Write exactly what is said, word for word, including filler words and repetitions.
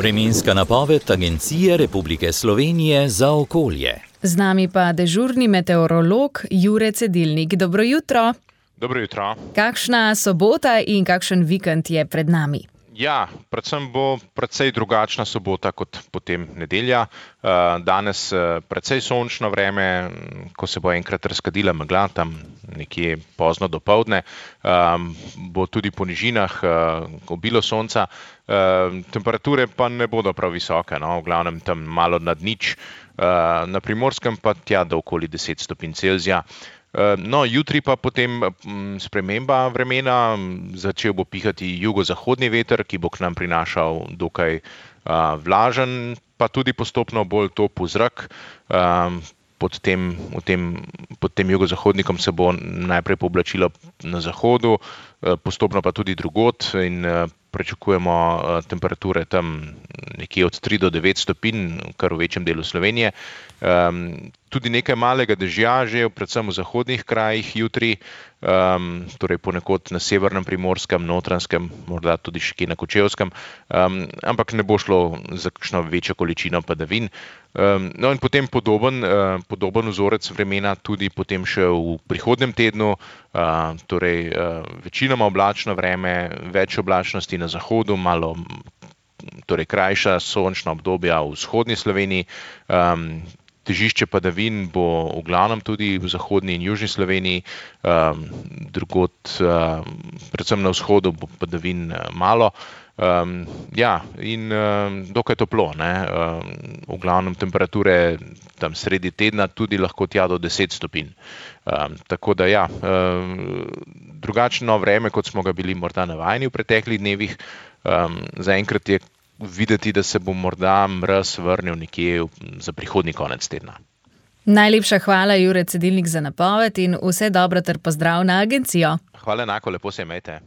Vremenska napoved Agencije Republike Slovenije za okolje. Z nami pa dežurni meteorolog Jure Cedilnik. Dobro jutro. Dobro jutro. Kakšna sobota in kakšen vikend je pred nami? Ja, predvsem bo precej drugačna sobota kot potem nedelja. Danes precej sončno vreme, ko se bo enkrat razkadila megla, tam nekje pozno dopoldne. Bo tudi po nižinah obilo sonca. Temperature pa ne bodo prav visoke, no, v glavnem tam malo nad nič. Na Primorskem pa tja do okoli deset stopinj Celzija. No, jutri pa potem sprememba vremena, začel bo pihati jugozahodni veter, ki bo k nam prinašal dokaj vlažen, pa tudi postopno bolj topel zrak. Pod tem, v tem, pod tem jugozahodnikom se bo najprej pooblačilo na zahodu, postopno pa tudi drugod in pričakujemo temperature tam nekje od tri do devet stopinj, kar v večjem delu Slovenije. Tudi nekaj malega dežja že, predvsem v zahodnih krajih jutri, torej ponekod na severnem Primorskem, Notranjskem, morda tudi še kje na Kočevskem, ampak ne bo šlo za kakšno večjo količino padavin. No in potem podoben, podoben vzorec vremena tudi potem še v prihodnjem tednu, torej večinoma oblačno vreme, več oblačnosti na zahodu, malo torej krajša sončna obdobja v vzhodni Sloveniji. Težišče padavin bo v glavnem tudi v zahodni in južni Sloveniji, drugod, predvsem na vzhodu bo padavin malo. Ja, in dokaj toplo, ne. V glavnem temperature tam sredi tedna tudi lahko tja do deset stopinj. Tako da ja, drugačno vreme, kot smo ga bili morda navajeni v preteklih dnevih. Zaenkrat je videti, da se bo morda mraz vrnil nekje za prihodnji konec tedna. Najlepša hvala, Jure Cedilnik, za napoved in vse dobro ter pozdrav na agencijo. Hvala enako, lepo se imejte.